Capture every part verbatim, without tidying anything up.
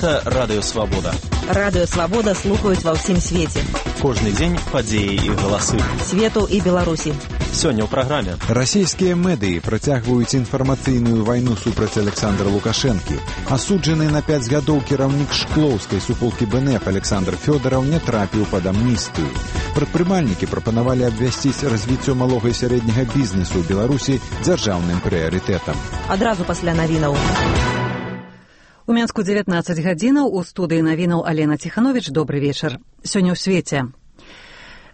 Гэта Радыё Свабода. Радыё Свабода слухаюць ва ўсім свеце. Кожны дзень падзеі і галасы. Свету і Беларусі. Сёння ў праграме. Расійскія медыі працягваюць інфармацыйную вайну супраць Александра Лукашэнкі. Асуджаны на пяць гадоў кіраўнік шклоўскай суполкі БНФ Александр Фёдараў не трапіў пад амністыю. Прадпрымальнікі прапанавалі абвясціць развіццё малога і сярэдняга бізнесу ў Беларусі дзяржаўным прыярытэтам. Адразу пасля навінаў. У Мінску дзевятнаццаць гадзінаў, у студыі навінаў Алена Ціхановіч. Добры вечар. Сёння ў свеце.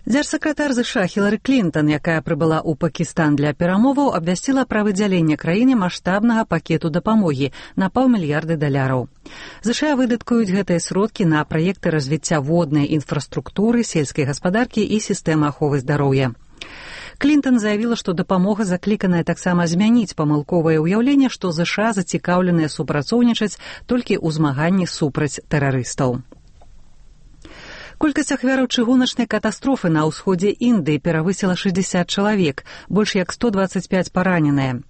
Дзяржсакратар ЗША Хілары Клінтон, якая прыбыла ў Пакістан для перамоваў, абвясціла пра выдзяленне краіне маштабнага пакету дапамогі на паўмільярды даляраў. ЗША выдаткуюць гэтыя сродкі на праекты развіцця воднай інфраструктуры, сельскай гаспадаркі і сістэмы аховы здароўя. Клінтон заявіла, што дапамога закліканая таксама змяніць памылковае ўяўленне, што ЗША зацікаўленыя супрацоўнічаць толькі ў змаганні супраць тэрарыстаў. Колькасць ахвяраў чыгуначнай катастрофы на ўсходзе Індыі перавысіла шэсцьдзесят чалавек, больш як сто дваццаць пяць параненыя.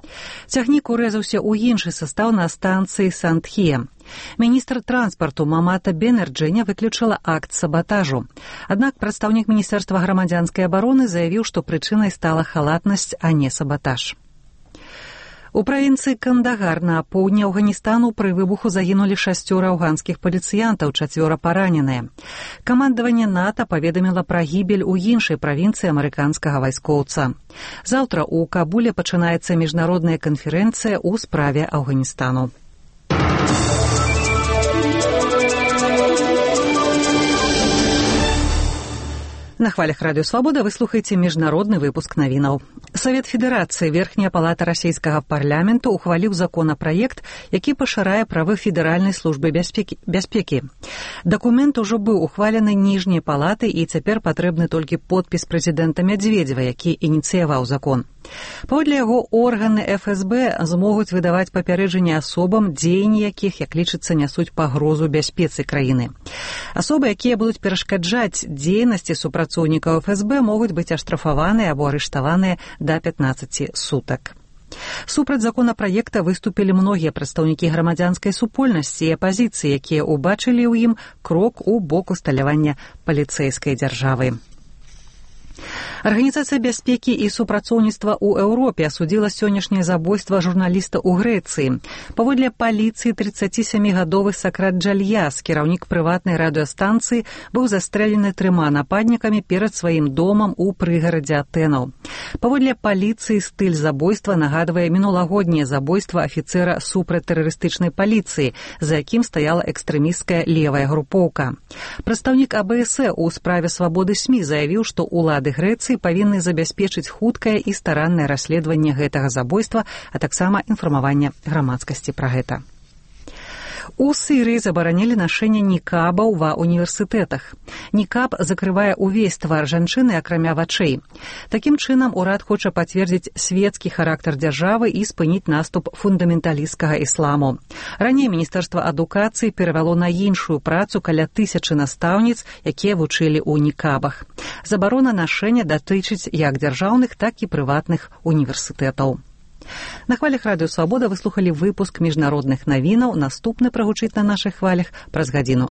Цягнік урэзаўся ў іншы састаў на станцыі Сандхе. Міністр транспарту Мамата Бенерджэня выключыла акт сабатажу. Аднак прадстаўнік Міністэрства грамадзянскай абароны заявіў, што прычынай стала халатнасць, а не сабатаж. У правінцыі Кандагар на поўдні Афганістану пры выбуху загінулі шасцёра афганскіх паліцыянтаў, чацвёра параненыя. Камандаванне НАТО паведаміла пра гібель у іншай правінцыі амерыканскага вайскоўца. Заўтра ў Кабуле пачынаецца міжнародная канферэнцыя ў справе Афганістану. На хвалях Радыё Свабода вы слухаеце міжнародны выпуск навінаў. Савет Федэрацыі, верхняя палата расійскага парламенту, ухваліў законапраект, які пашырае правы федэральнай службы бяспекі. бяспекі. Дакумент ужо быў ухвалены ніжняй палатай і цяпер патрэбны толькі подпіс прэзідэнта Мядзведзева, які ініцыяваў закон. Паводле яго, органы эф эс бэ змогуць выдаваць папярэджанні асобам, дзеянні якіх, як лічыцца, нясуць пагрозу бяспецы краіны. Асобы, якія будуць перашкаджаць дзейнасці супрацоўнікаў эф эс бэ, могуць быць аштрафаваныя або арыштаваныя да пятнаццаці сутак. Супраць законапраекта выступілі многія прадстаўнікі грамадзянскай супольнасці і апазіцыі, якія ўбачылі ў ім крок у бок усталявання паліцэйскай дзяржавы. Арганізацыя бяспекі і супрацоўніцтва ў Еўропе асудзіла сённяшняе забойства журналіста ў Грэцыі. Паводле паліцыі, трыццацісямігадовы Сакрат Джальяс, кіраўнік прыватнай радыёстанцыі, быў застрэлены трыма нападнікамі перад сваім домам у прыгарадзе Атэнаў. Паводле паліцыі, стыль забойства нагадвае мінулагодняе забойства афіцэра супрацьтэрарыстычнай паліцыі, за якім стаяла экстрэмісцкая левая групоўка. Прадстаўнік а бэ эс э ў справе свабоды СМІ заявіў, што ўлады Грэцыі павінны забяспечыць хуткае і стараннае расследаванне гэтага забойства, а таксама інфармаванне грамадскасці пра гэта. У Сірыі забаранілі нашэнне нікабаў ва універсітэтах. Нікаб закрывае ўвесь твар жанчыны, акрамя вачэй. Такім чынам, урад хоча пацвердзіць свецкі характар дзяржавы і спыніць наступ фундаменталісцкага ісламу. Раней Міністэрства адукацыі перавяло на іншую працу каля тысячы настаўніц, якія вучылі ў нікабах. Забарона нашэння датычыць як дзяржаўных, так і прыватных універсітэтаў. На хвалях Радыё Свабода вы слухалі выпуск міжнародных навінаў. Наступны прагучыць на нашых хвалях праз гадзіну.